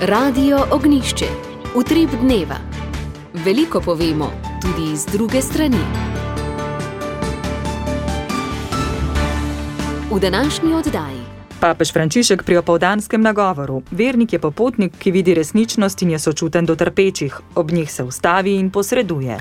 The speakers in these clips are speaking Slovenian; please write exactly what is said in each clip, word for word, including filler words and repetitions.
Radio Ognjišče, utrip dneva. Veliko povemo, tudi z druge strani. V današnji oddaji. Papež Frančišek pri opoldanskem nagovoru. Vernik je popotnik, ki vidi resničnost in je sočuten do trpečih. Ob njih se ustavi in posreduje.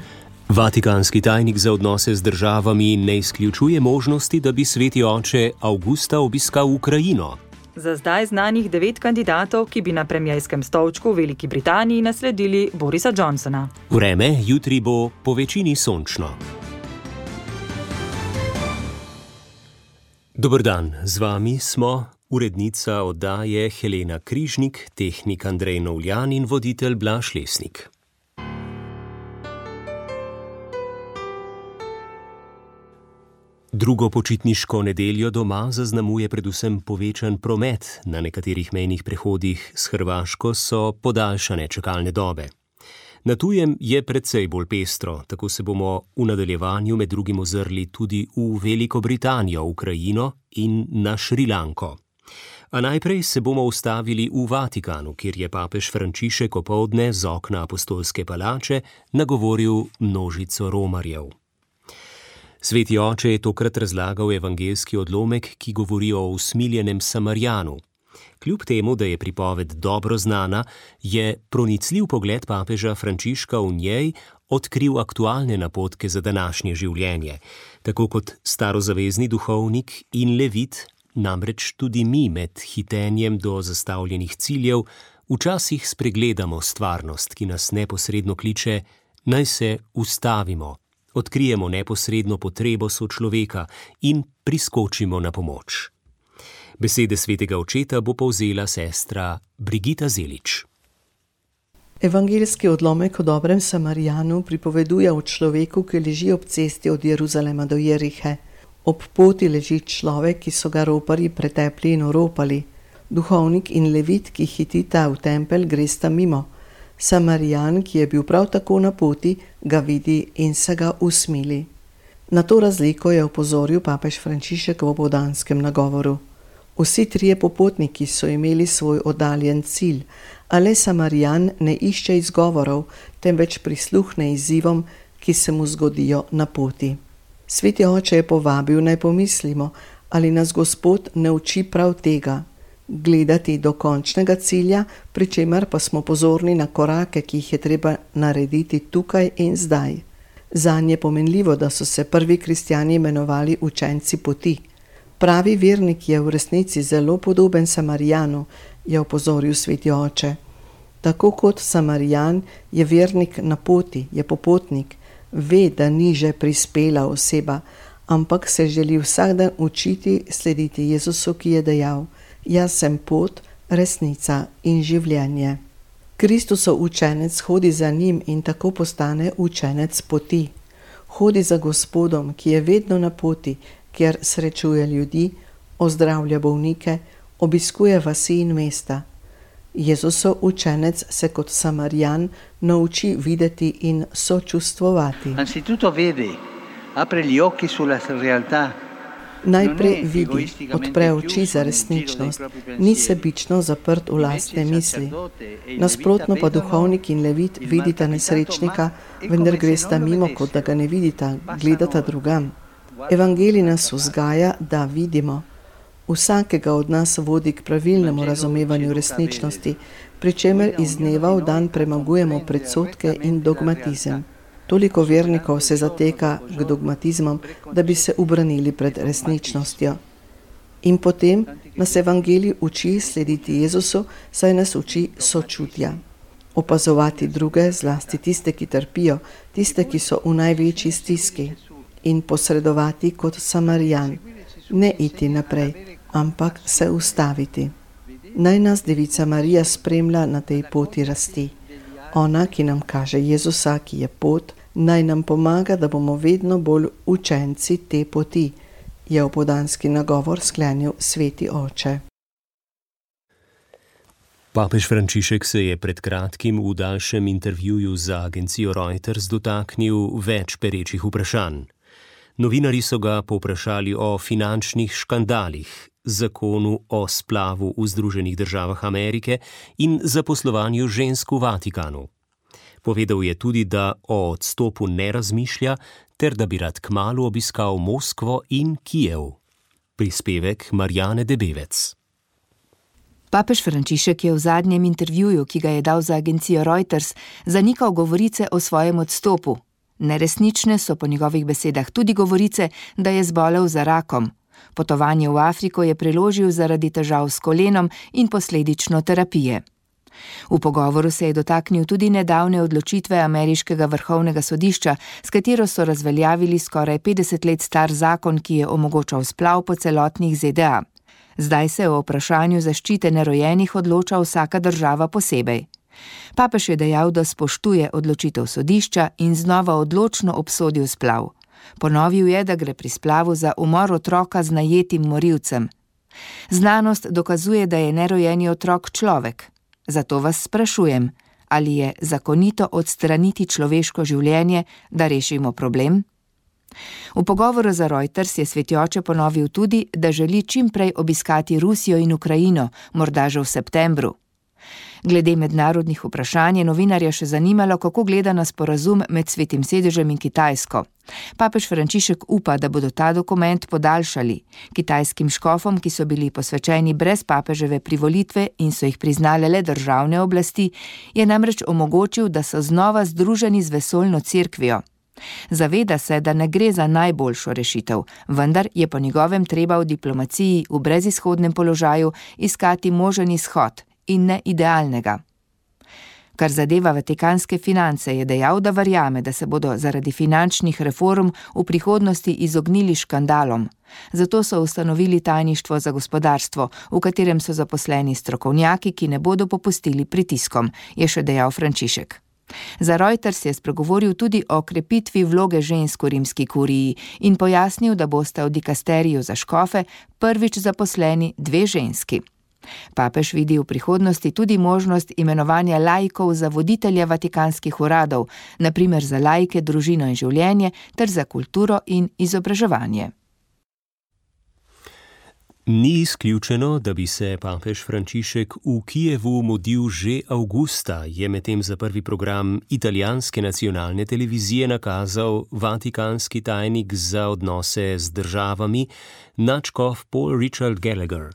Vatikanski tajnik za odnose z državami ne izključuje možnosti, da bi sveti oče avgusta obiskal Ukrajino. Za zdaj znanih devet kandidatov, ki bi na premierjskem stolčku v Veliki Britaniji nasledili Borisa Johnsona. Vreme jutri bo po večini sončno. Dober dan, z vami smo urednica oddaje Helena Križnik, tehnik Andrej Novljan in voditelj Blaž Lesnik. Drugo počitniško nedeljo doma zaznamuje predvsem povečan promet. Na nekaterih mejnih prehodih s Hrvaško so podaljšane čakalne dobe. Na tujem je precej bolj pestro, tako se bomo v nadaljevanju med drugim ozrli tudi v Veliko Britanijo, Ukrajino in na Šrilanko. A najprej se bomo ustavili v Vatikanu, kjer je papež Frančišek opoldne z okna apostolske palače nagovoril množico romarjev. Sveti oče je tokrat razlagal evangeljski odlomek, ki govori o usmiljenem Samarijanu. Kljub temu, da je pripoved dobro znana, je pronicljiv pogled papeža Frančiška v njej odkril aktualne napotke za današnje življenje. Tako kot starozavezni duhovnik in levit, namreč tudi mi med hitenjem do zastavljenih ciljev včasih spregledamo stvarnost, ki nas neposredno kliče, naj se ustavimo, odkrijemo neposredno potrebo sočloveka in priskočimo na pomoč. Besede svetega očeta bo povzela sestra Brigita Zelič. Evangeljski odlomek o dobrem Samarijanu pripoveduje o človeku, ki leži ob cesti od Jeruzalema do Jerihe. Ob poti leži človek, ki so ga roparji pretepli in oropali. Duhovnik in levit, ki hitita v tempelj, gresta mimo. Samarijan, ki je bil prav tako na poti, ga vidi in se ga usmili. Na to razliko je opozoril papež Frančišek v opoldanskem nagovoru. Vsi trije popotniki so imeli svoj oddaljen cilj, a le Samarijan ne išče izgovorov, temveč prisluhne izzivom, ki se mu zgodijo na poti. Sveti oče je povabil, naj pomislimo, ali nas Gospod ne uči prav tega, gledati do končnega cilja, pri čemer pa smo pozorni na korake, ki jih je treba narediti tukaj in zdaj. Zanje je pomenljivo, da so se prvi kristjani imenovali učenci poti. Pravi vernik je v resnici zelo podoben Samarijanu, je opozoril sveti oče. Tako kot Samarijan je vernik na poti, je popotnik, ve, da ni že prispela oseba, ampak se želi vsak dan učiti slediti Jezusu, ki je dejal: jaz sem pot, resnica in življenje. Kristusov učenec hodi za njim in tako postane učenec poti. Hodi za Gospodom, ki je vedno na poti, kjer srečuje ljudi, ozdravlja bolnike, obiskuje vasi in mesta. Jezusov učenec se kot Samarijan nauči videti in sočustvovati. Anzitutto vede, apre gli occhi sulla realtà. Najprej vidi, odpre oči za resničnost, ni sebično zaprt v lastne misli. Nasprotno pa duhovnik in levit vidita nesrečnika, vendar gresta mimo, kot da ga ne vidita, gledata drugam. Evangelij nas vzgaja, da vidimo. Vsakega od nas vodi k pravilnemu razumevanju resničnosti, pri čemer iz dneva v dan premagujemo predsodke in dogmatizem. Toliko vernikov se zateka k dogmatizmom, da bi se ubranili pred resničnostjo. In potem nas Evangelij uči slediti Jezusu, saj nas uči sočutja. Opazovati druge, zlasti tiste, ki trpijo, tiste, ki so v največji stiski. In posredovati kot Samarijan. Ne iti naprej, ampak se ustaviti. Naj nas Devica Marija spremlja na tej poti rasti. Ona, ki nam kaže Jezusa, ki je pot, naj nam pomaga, da bomo vedno bolj učenci te poti, je opoldanski nagovor sklenil sveti oče. Papež Frančišek se je pred kratkim v daljšem intervjuju za agencijo Reuters dotaknil več perečih vprašanj. Novinarji so ga povprašali o finančnih škandalih, zakonu o splavu v Združenih državah Amerike in zaposlovanju žensk v Vatikanu. Povedal je tudi, da o odstopu ne razmišlja ter da bi rad kmalu obiskal Moskvo in Kijev. Prispevek Marjane Debevec. Papež Frančišek je v zadnjem intervjuju, ki ga je dal za agencijo Reuters, zanikal govorice o svojem odstopu. Neresnične so po njegovih besedah tudi govorice, da je zbolel za rakom. Potovanje v Afriko je preložil zaradi težav s kolenom in posledično terapije. V pogovoru se je dotaknil tudi nedavne odločitve ameriškega vrhovnega sodišča, s katero so razveljavili skoraj petdeset let star zakon, ki je omogočal splav po celotnih Z D A. Zdaj se o vprašanju zaščite nerojenih odloča vsaka država posebej. Papež je dejal, da spoštuje odločitev sodišča in znova odločno obsodil splav. Ponovil je, da gre pri splavu za umor otroka z najetim morilcem. Znanost dokazuje, da je nerojeni otrok človek. Zato vas sprašujem, ali je zakonito odstraniti človeško življenje, da rešimo problem? V pogovoru za Reuters je Sveti oče ponovil tudi, da želi čim prej obiskati Rusijo in Ukrajino, morda že v septembru. Glede mednarodnih vprašanj je novinarja še zanimalo, kako gleda na sporazum med Svetim sedežem in Kitajsko. Papež Frančišek upa, da bodo ta dokument podaljšali. Kitajskim škofom, ki so bili posvečeni brez papeževe privolitve in so jih priznale le državne oblasti, je namreč omogočil, da so znova združeni z vesoljno cerkvijo. Zaveda se, da ne gre za najboljšo rešitev, vendar je po njegovem treba v diplomaciji v brezizhodnem položaju iskati možen izhod in ne idealnega. Kar zadeva vatikanske finance, je dejal, da verjame, da se bodo zaradi finančnih reform v prihodnosti izognili škandalom. Zato so ustanovili tajništvo za gospodarstvo, v katerem so zaposleni strokovnjaki, ki ne bodo popustili pritiskom, je še dejal Frančišek. Za Reuters je spregovoril tudi o krepitvi vloge žensk v rimski kuriji in pojasnil, da bosta v dikasteriju za škofe prvič zaposleni dve ženski. Papež vidi v prihodnosti tudi možnost imenovanja laikov za voditelja vatikanskih uradov, na primer za laike, družino in življenje ter za kulturo in izobraževanje. Ni izključeno, da bi se papež Frančišek v Kijevu mudil že avgusta, je medtem za prvi program italijanske nacionalne televizije nakazal vatikanski tajnik za odnose z državami, nadškof Paul Richard Gallagher.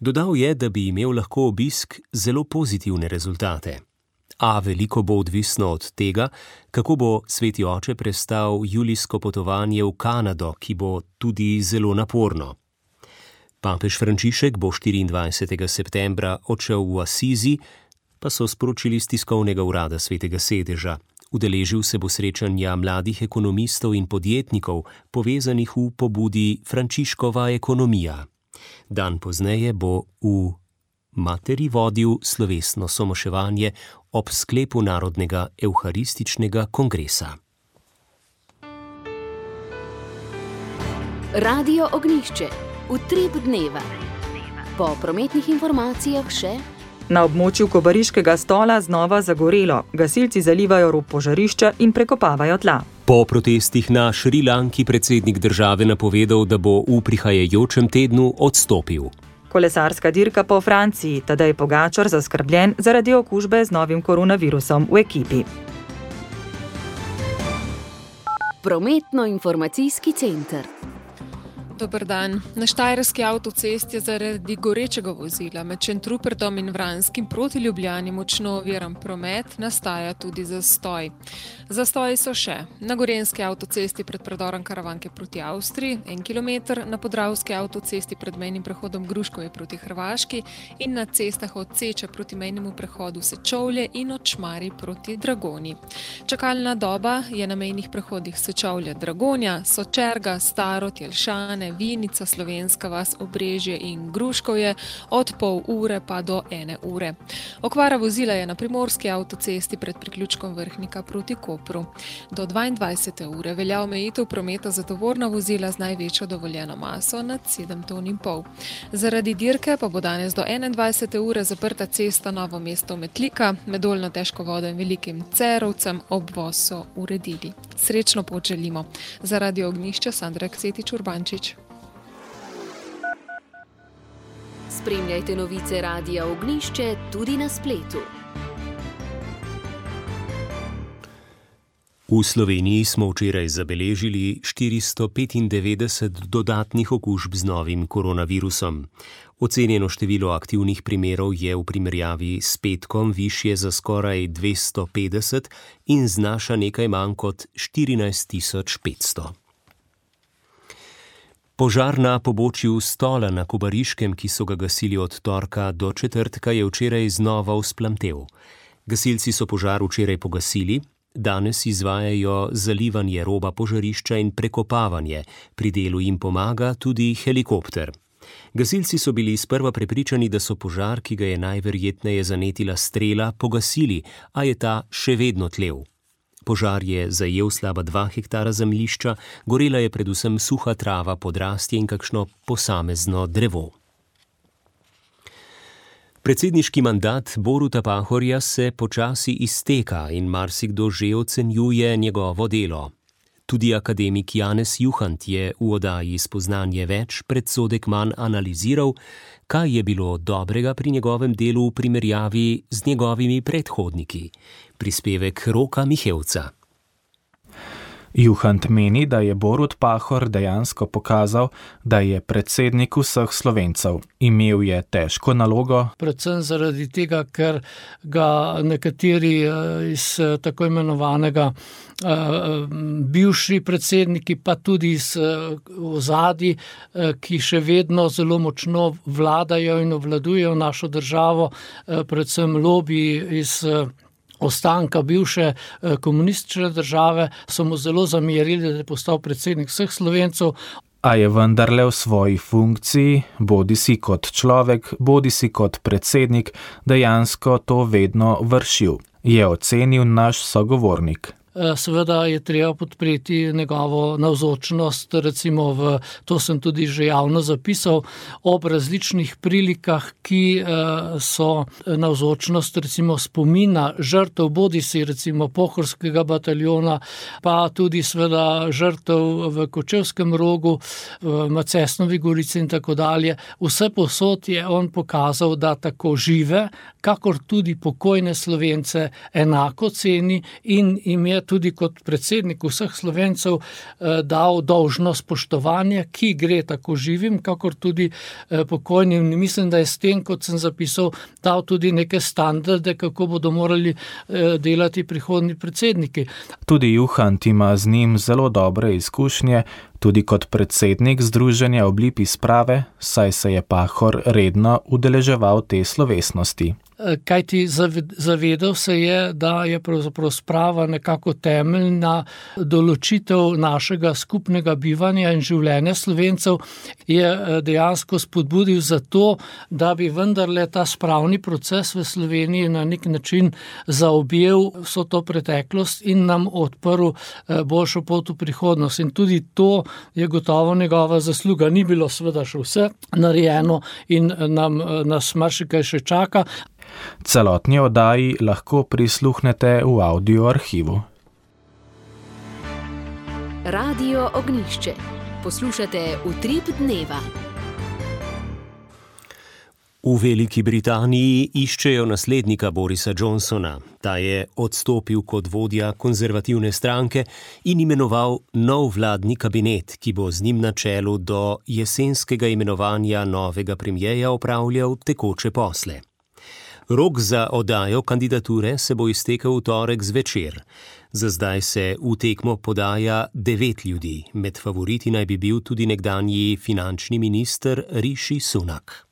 Dodal je, da bi imel lahko obisk zelo pozitivne rezultate. A veliko bo odvisno od tega, kako bo Sveti oče prestal julijsko potovanje v Kanado, ki bo tudi zelo naporno. Papež Frančišek bo štiriindvajsetega septembra odšel v Asizi, pa so sporočili z tiskovnega urada Svetega sedeža. Udeležil se bo srečanja mladih ekonomistov in podjetnikov, povezanih v pobudi Frančiškova ekonomija. Dan pozneje bo v Materi vodil slovesno somoševanje ob sklepu Narodnega evharističnega kongresa. Radio Ognjišče. Utrip dneva. Po prometnih informacijah še: na območju Kobariškega Stola znova zagorelo. Gasilci zalivajo rob požarišča in prekopavajo tla. Po protestih na Šrilanki predsednik države napovedal, da bo v prihajajočem tednu odstopil. Kolesarska dirka po Franciji, Tadej Pogačar zaskrbljen zaradi okužbe z novim koronavirusom v ekipi. Prometno-informacijski center. Dober dan. Na Štajerski avtocesti je zaradi gorečega vozila med Šentrupertom in Vranskim proti Ljubljani močno oviran promet, nastaja tudi zastoj. Zastoji so še na Gorenjski avtocesti pred predorom Karavanke proti Avstriji, en kilometer, na Podravski avtocesti pred mejnim prehodom Gruškovje proti Hrvaški in na cestah od Seča proti mejnemu prehodu Sečovlje in od Šmarij proti Dragoni. Čakalna doba je na mejnih prehodih Sečovlje, Dragonja, Sočerga, Staro, Tjelšane, Vinica, Slovenska vas, Obrežje in Gruškovje od pol ure pa do ene ure. Okvara vozila je na Primorski avtocesti pred priključkom Vrhnika proti Kopru. Do dvaindvajsete ure velja omejitev prometa za tovorna vozila z največjo dovoljeno maso nad sedem ton in pol. Zaradi dirke pa bo danes do enaindvajsete ure zaprta cesta Novo mesto-Metlika, med Dolnjo težko vodo in Velikim Cerovcem, obvoz so uredili. Srečno pot želimo. Za Radio Ognjišče Sandra Ksetič Urbančič. Spremljajte novice Radia Ognjišče tudi na spletu. V Sloveniji smo včeraj zabeležili štiristo petindevetdeset dodatnih okužb z novim koronavirusom. Ocenjeno število aktivnih primerov je v primerjavi s petkom višje za skoraj dvesto petdeset in znaša nekaj manj kot štirinajst tisoč petsto. Požar na pobočju Stola na Kobariškem, ki so ga gasili od torka do četrtka, je včeraj znova vzplamtel. Gasilci so požar včeraj pogasili. Danes izvajajo zalivanje roba požarišča in prekopavanje. Pri delu jim pomaga tudi helikopter. Gasilci so bili sprva prepričani, da so požar, ki ga je najverjetneje zanetila strela, pogasili, a je ta še vedno tlel. Požar je zajel slaba dva hektara zemljišča, gorela je predvsem suha trava, podrastje in kakšno posamezno drevo. Predsedniški mandat Boruta Pahorja se počasi izteka in marsikdo že ocenjuje njegovo delo. Tudi akademik Janez Juhant je v oddaji Spoznanje več predsodek manj analiziral, kaj je bilo dobrega pri njegovem delu v primerjavi z njegovimi predhodniki. Prispevek Roka Mihevca. Juhant meni, da je Borut Pahor dejansko pokazal, da je predsednik vseh Slovencev. Imel je težko nalogo. Predvsem zaradi tega, ker ga nekateri iz tako imenovanega bivši predsedniki, pa tudi iz ozadij, ki še vedno zelo močno vladajo in obvladujejo našo državo, predvsem lobiji iz ostanka bivše komunistične države, so mu zelo zamerili, da je postal predsednik vseh Slovencev. A je vendarle v svoji funkciji, bodisi kot človek, bodisi kot predsednik, dejansko to vedno vršil, je ocenil naš sogovornik. Seveda je treba podpreti njegovo navzočnost, recimo v, to sem tudi že javno zapisal, ob različnih prilikah, ki so navzočnost recimo spomina žrtev, bodisi recimo Pohorskega bataljona, pa tudi seveda žrtev v Kočevskem Rogu, v Macesnovi Gorici in tako dalje. Vse posod je on pokazal, da tako žive, kakor tudi pokojne Slovence enako ceni in jim je tudi kot predsednik vseh Slovencev dal dolžno spoštovanje, ki gre tako živim, kakor tudi pokojnim. Mislim, da je s tem, kot sem zapisal, dal tudi neke standarde, kako bodo morali delati prihodnji predsedniki. Tudi Juhant ima z njim zelo dobre izkušnje, tudi kot predsednik Združenja Oblipi sprave, saj se je Pahor redno udeleževal te slovesnosti. Kajti zavedal se je, da je pravzaprav sprava nekako temeljna določitev našega skupnega bivanja in življenja Slovencev, je dejansko spodbudil za to, da bi vendarle ta spravni proces v Sloveniji na nek način zaobjel vso to preteklost in nam odprl boljšo pot v prihodnost. In tudi to je gotovo njegova zasluga. Ni bilo seveda še vse narejeno in nam nas marsikaj še čaka. Celotni oddaji lahko prisluhnete v audio arhivu. Radio Ognjišče. Poslušate Utrip dneva. V Veliki Britaniji iščejo naslednika Borisa Johnsona. Ta je odstopil kot vodja konzervativne stranke in imenoval nov vladni kabinet, ki bo z njim na čelu do jesenskega imenovanja novega premierja opravljal tekoče posle. Rok za oddajo kandidature se bo iztekel v torek zvečer. Za zdaj se v tekmo podaja devet ljudi. Med favoriti naj bi bil tudi nekdanji finančni minister Rishi Sunak.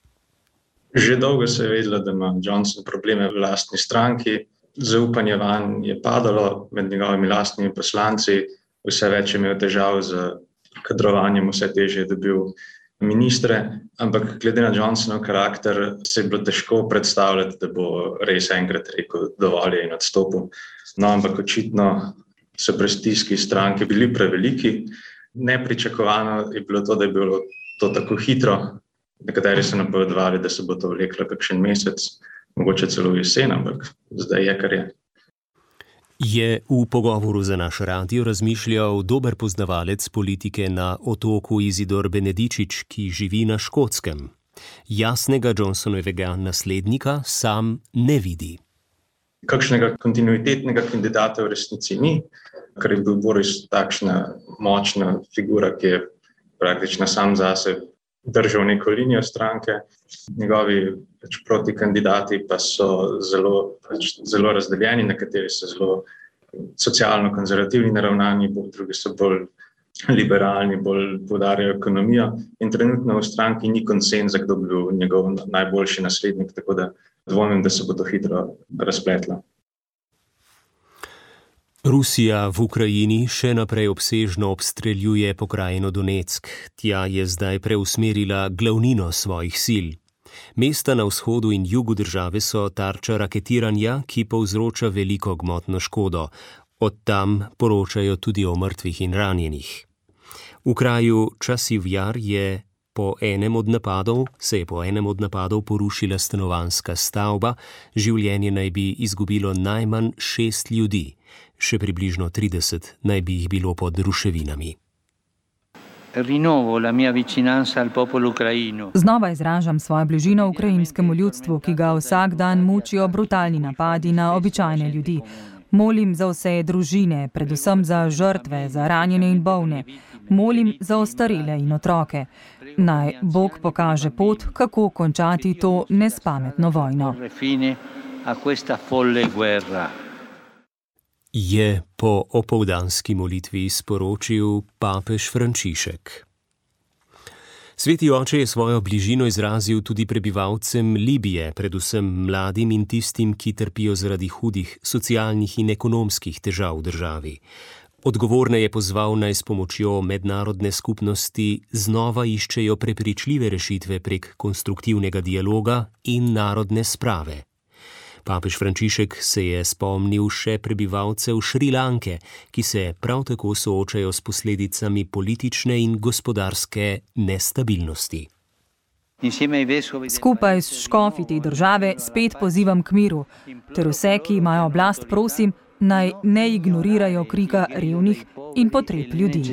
Že dolgo se je vedelo, da ima Johnson probleme v lastni stranki. Zaupanje vanj je padalo med njegovimi lastnimi poslanci. Vse več je imel težav z kadrovanjem, vse težje je dobil ministre, ampak glede na Johnsonov karakter se je bilo težko predstavljati, da bo res enkrat rekel dovolj in odstopil. No, ampak očitno so prestižki stranke bili preveliki. Nepričakovano je bilo to, da je bilo to tako hitro. Nekateri so napovedovali, da se bo to vleklo kakšen mesec, mogoče celo jesen, ampak zdaj je, kar je. Je v pogovoru za naš radio razmišljal dober poznavalec politike na otoku Izidor Benedičič, ki živi na Škotskem. Jasnega Johnsonovega naslednika sam ne vidi. Kakšnega kontinuitetnega kandidata v resnici ni, ker je bil Boris takšna močna figura, ki je praktično sam zase držal neko linijo stranke. Njegovi pač protikandidati pa so zelo, pač zelo razdeljeni, nekateri so zelo socialno-konzervativni naravnani, drugi so bolj liberalni, bolj poudarjajo ekonomijo in trenutno v stranki ni konsenza, kdo bi bil njegov najboljši naslednik, tako da dvomim, da se bo to hitro razpletlo. Rusija v Ukrajini še naprej obsežno obstreljuje pokrajino Donetsk. Tja je zdaj preusmerila glavnino svojih sil. Mesta na vzhodu in jugu države so tarča raketiranja, ki povzroča veliko gmotno škodo. Od tam poročajo tudi o mrtvih in ranjenih. V kraju Časiv Jar je po enem od napadov, se je po enem od napadov porušila stanovanjska stavba, življenje naj bi izgubilo najmanj šest ljudi. Še približno trideset naj bi jih bilo pod ruševinami. Znova izražam svojo bližino ukrajinskemu ljudstvu, ki ga vsak dan mučijo brutalni napadi na običajne ljudi. Molim za vse družine, predvsem za žrtve, za ranjene in bolne. Molim za ostarele in otroke. Naj Bog pokaže pot, kako končati to nespametno vojno. Je po opoldanski molitvi sporočil papež Frančišek. Sveti oče je svojo bližino izrazil tudi prebivalcem Libije, predvsem mladim in tistim, ki trpijo zaradi hudih socialnih in ekonomskih težav v državi. Odgovorne je pozval, naj s pomočjo mednarodne skupnosti znova iščejo prepričljive rešitve prek konstruktivnega dialoga in narodne sprave. Papež Frančišek se je spomnil še prebivalcev Šrilanke, ki se prav tako soočajo s posledicami politične in gospodarske nestabilnosti. Skupaj s škofi te države spet pozivam k miru, ter vse, ki imajo oblast, prosim, naj ne ignorirajo krika revnih in potreb ljudi.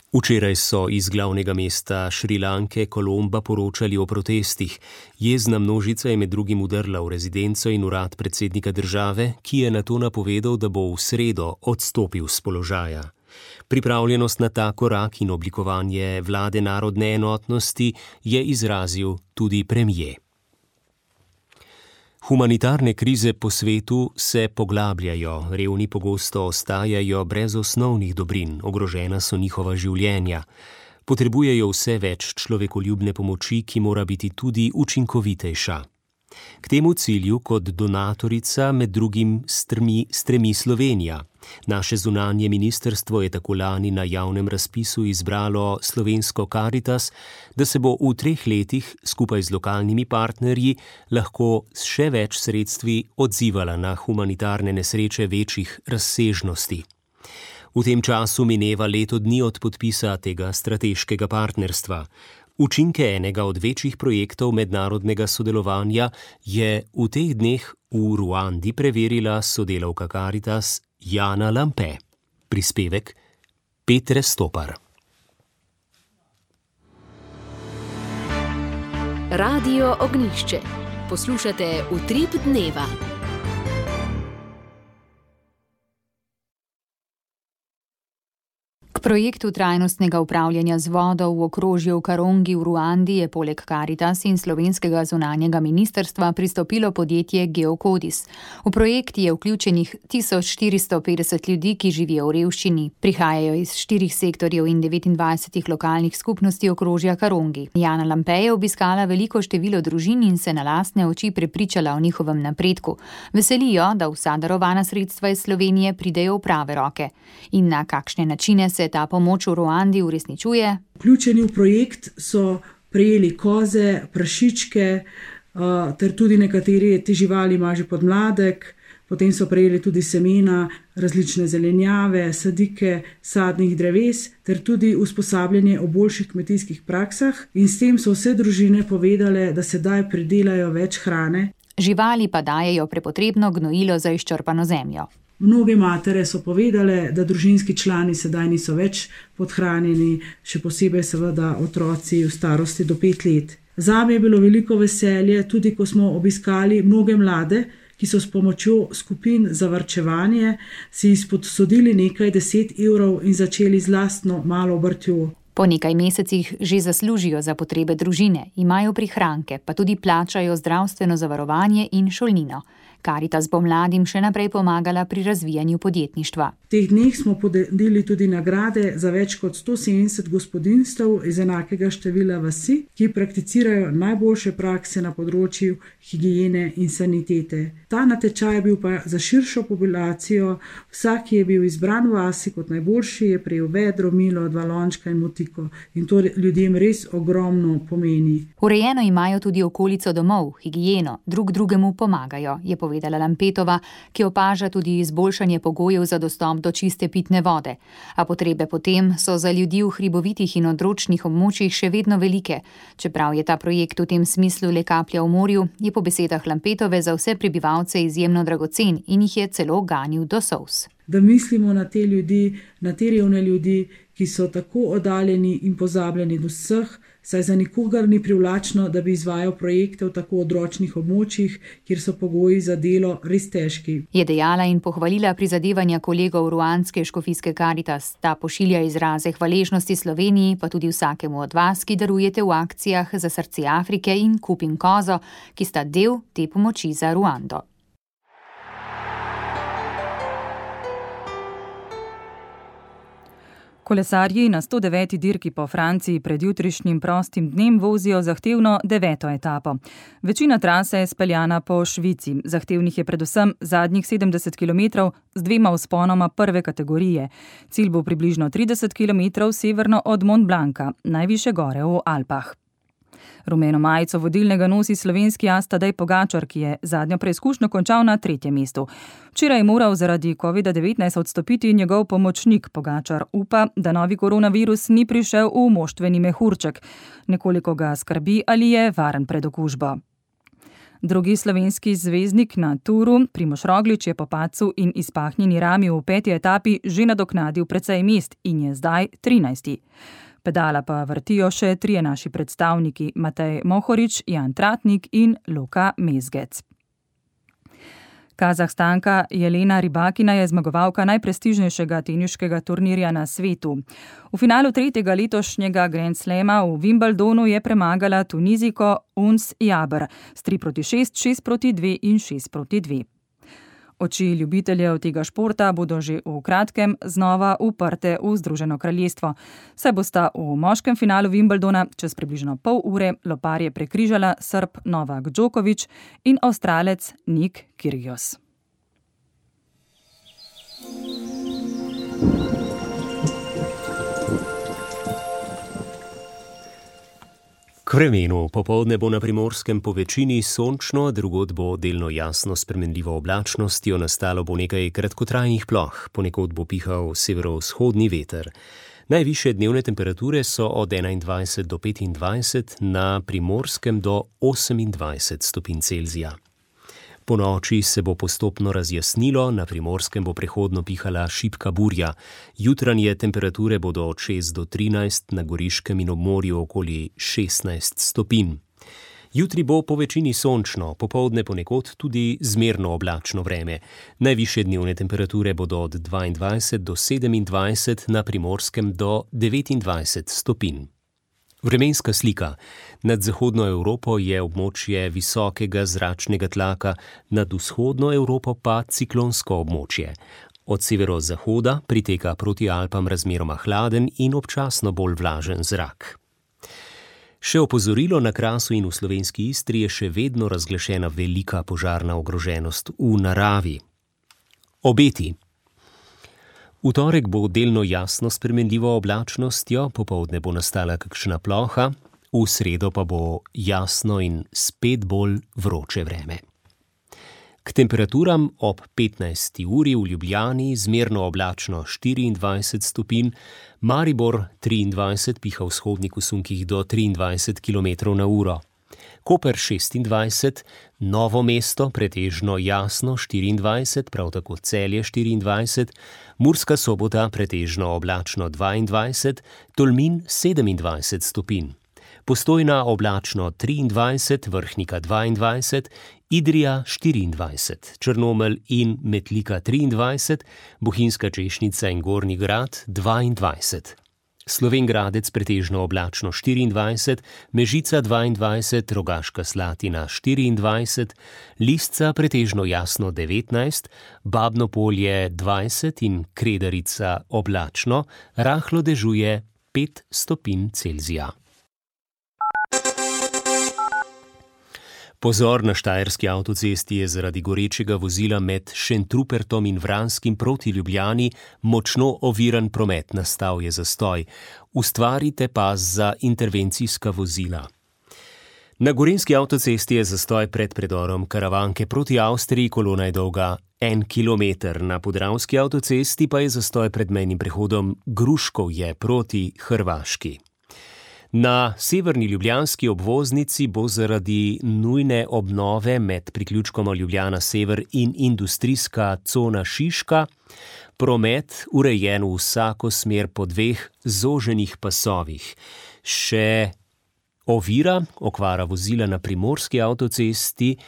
Včeraj so iz glavnega mesta Šrilanke, Kolomba, poročali o protestih. Jezna množica je med drugim udrla v rezidenco in urad predsednika države, ki je nato napovedal, da bo v sredo odstopil s položaja. Pripravljenost na ta korak in oblikovanje vlade narodne enotnosti je izrazil tudi premier. Humanitarne krize po svetu se poglabljajo, revni pogosto ostajajo brez osnovnih dobrin, ogrožena so njihova življenja. Potrebujejo vse več človekoljubne pomoči, ki mora biti tudi učinkovitejša. K temu cilju kot donatorica med drugim strmi, stremi Slovenija. Naše zunanje ministrstvo je tako lani na javnem razpisu izbralo slovensko Karitas, da se bo v treh letih skupaj z lokalnimi partnerji lahko s še več sredstvi odzivala na humanitarne nesreče večjih razsežnosti. V tem času mineva leto dni od podpisa tega strateškega partnerstva. Učinke enega od večjih projektov mednarodnega sodelovanja je v teh dneh v Ruandi preverila sodelavka Karitas Jana Lampe. Prispevek Petre Stopar. Radio Ognjišče. Poslušate Utrip dneva. K projektu trajnostnega upravljanja z vodo v okrožju Karongi v Ruandi je poleg Karitas in slovenskega zunanjega ministrstva pristopilo podjetje Geokodis. V projekt je vključenih tisoč štiristo petdeset ljudi, ki živijo v revščini. Prihajajo iz štirih sektorjev in devetindvajsetih lokalnih skupnosti okrožja Karongi. Jana Lampe je obiskala veliko število družin in se na lastne oči prepričala o njihovem napredku. Veselijo, da vsa darovana sredstva iz Slovenije pridejo v prave roke. In na kakšne načine se ta pomoč v Ruandi uresničuje? Vključeni v projekt so prejeli koze, prašičke, ter tudi nekateri te živali ima že podmladek, potem so prejeli tudi semena, različne zelenjave, sadike, sadnih dreves, ter tudi usposabljanje o boljših kmetijskih praksah in s tem so vse družine povedale, da sedaj pridelajo več hrane. Živali pa dajejo prepotrebno gnojilo za izčrpano zemljo. Mnoge matere so povedale, da družinski člani sedaj niso več podhranjeni, še posebej seveda otroci v starosti do pet let. Zame je bilo veliko veselje, tudi ko smo obiskali mnoge mlade, ki so s pomočjo skupin za varčevanje si izpodsodili nekaj deset evrov in začeli z lastno malo obrtjo. Po nekaj mesecih že zaslužijo za potrebe družine, imajo prihranke, pa tudi plačajo zdravstveno zavarovanje in šolnino. Karitas bo mladim še naprej pomagala pri razvijanju podjetništva. V teh dneh smo podelili tudi nagrade za več kot sto sedemdeset gospodinjstev iz enakega števila vasi, ki prakticirajo najboljše prakse na področju higiene in sanitete. Ta natečaj je bil pa za širšo populacijo, vsak, ki je bil izbran v vasi kot najboljši, je prejel vedro, milo, dva lončka in motiko. In to ljudem res ogromno pomeni. Urejeno imajo tudi okolico domov, higieno, drug drugemu pomagajo, je povedala Lampetova, ki opaža tudi izboljšanje pogojev za dostop do čiste pitne vode. A potrebe potem so za ljudi v hribovitih in odročnih območjih še vedno velike. Čeprav je ta projekt v tem smislu le kaplja v morju, je po besedah Lampetove za vse prebivalce izjemno dragocen in jih je celo ganil do solz. Da mislimo na te ljudi, na te revne ljudi, ki so tako oddaljeni in pozabljeni do vseh, saj za nikogar ni privlačno, da bi izvajal projekte v tako odročnih območjih, kjer so pogoji za delo res težki. Je dejala in pohvalila prizadevanja kolegov ruandske škofijske Karitas. Ta pošilja izraze hvaležnosti Sloveniji, pa tudi vsakemu od vas, ki darujete v akcijah za srce Afrike in Kupim kozo, ki sta del te pomoči za Ruando. Kolesarji na sto deveti dirki po Franciji pred jutrišnjim prostim dnem vozijo zahtevno deveto etapo. Večina trase je speljana po Švici. Zahtevnih je predvsem zadnjih sedemdeset kilometrov z dvema vzponoma prve kategorije. Cilj bo približno trideset kilometrov severno od Mont Blanca, najvišje gore v Alpah. Rumeno majico vodilnega nosi slovenski as Tadej Pogačar, ki je zadnjo preizkušnjo končal na tretjem mestu. Včeraj je moral zaradi kovida devetnajst odstopiti njegov pomočnik. Pogačar upa, da novi koronavirus ni prišel v moštveni mehurček. Nekoliko ga skrbi, ali je varen pred okužbo. Drugi slovenski zvezdnik na turu, Primož Roglič, je po padcu in izpahnjeni rami v peti etapi že nadoknadil precej mest in je zdaj trinajsti. Pedala pa vrtijo še trije naši predstavniki, Matej Mohorič, Jan Tratnik in Luka Mezgec. Kazahstanka Jelena Rybakina je zmagovalka najprestižnejšega teniškega turnirja na svetu. V finalu tretjega letošnjega Grand Slama v Wimbledonu je premagala Tunizijko Uns Jabr s tri proti šest, šest proti dve in šest proti dve. Oči ljubiteljev tega športa bodo že v kratkem znova uprte v Združeno kraljestvo. Saj bosta v moškem finalu Wimbledona čez približno pol ure loparje prekrižala Srb Novak Djokovic in Avstralec Nick Kyrgios. K vremenu. Popoldne bo na Primorskem po večini sončno, drugod bo delno jasno s spremenljivo oblačnostjo, nastalo bo nekaj kratkotrajnih ploh, ponekod bo pihal severovzhodni veter. Najvišje dnevne temperature so od enaindvajset do petindvajset, na Primorskem do osemindvajset stopinj Celzija. Po noči se bo postopno razjasnilo, na Primorskem bo prehodno pihala šibka burja. Jutranje temperature bodo od šest do trinajst, na Goriškem in ob morju okoli šestnajst stopinj. Jutri bo po večini sončno, popoldne ponekod tudi zmerno oblačno vreme. Najvišje dnevne temperature bodo od dvaindvajset do sedemindvajset, na Primorskem do devetindvajset stopinj. Vremenska slika. Nad zahodno Evropo je območje visokega zračnega tlaka, nad vzhodno Evropo pa ciklonsko območje. Od severozahoda priteka proti Alpam razmeroma hladen in občasno bolj vlažen zrak. Še opozorilo: na Krasu in v slovenski Istri je še vedno razglašena velika požarna ogroženost v naravi. Obeti. V torek bo delno jasno s spremenljivo oblačnostjo, popoldne bo nastala kakšna ploha, v sredo pa bo jasno in spet bolj vroče vreme. K temperaturam ob petnajsti uri v Ljubljani zmerno oblačno štiriindvajset stopinj, Maribor triindvajset, piha vzhodnik v sunkih do triindvajset kilometrov na uro. Koper šestindvajset, Novo mesto pretežno jasno štiriindvajset, prav tako Celje štiriindvajset, Murska Sobota pretežno oblačno dvaindvajset, Tolmin sedemindvajset stopinj. Postojna oblačno triindvajset, Vrhnika dvaindvajset, Idrija štiriindvajset, Črnomelj in Metlika triindvajset, Bohinjska Češnica in Gornji Grad dvaindvajset. Slovenj Gradec pretežno oblačno štiriindvajset, Mežica dvaindvajset, Rogaška Slatina štiriindvajset, Lisca pretežno jasno devetnajst, Babno Polje dvajset in Kredarica oblačno, rahlo dežuje pet stopinj Celzija. Pozor, na štajerski avtocesti je zaradi gorečega vozila med Šentrupertom in Vranskim proti Ljubljani močno oviran promet, nastal je zastoj. Ustvarite pas za intervencijska vozila. Na gorenjski avtocesti je zastoj pred predorom Karavanke proti Avstriji, kolona je dolga en kilometer. Na podravski avtocesti pa je zastoj pred mejnim prehodom Gruškovje proti Hrvaški. Na severni ljubljanski obvoznici bo zaradi nujne obnove med priključkoma Ljubljana Sever in industrijska cona Šiška promet urejen v vsako smer po dveh zoženih pasovih. Še ovira, okvara vozila na primorski avtocesti,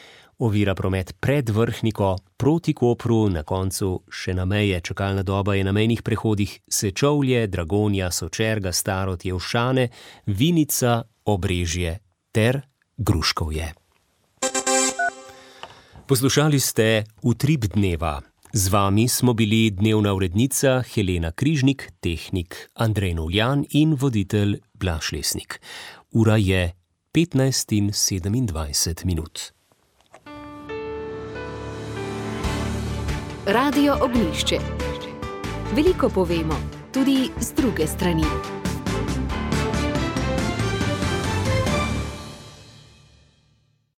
ovira promet pred Vrhniko proti Kopru, na koncu še na meje. Čakalna doba je na mejnih prehodih Sečovlje, Dragonja, Sočerga, Starod, Jevšane, Vinica, Obrežje ter Gruškovje. Poslušali ste Utrip dneva. Z vami smo bili dnevna urednica Helena Križnik, tehnik Andrej Novljan in voditelj Blaž Lesnik. Ura je petnajst in sedemindvajset minut. Radio Ognjišče. Veliko povemo, tudi z druge strani.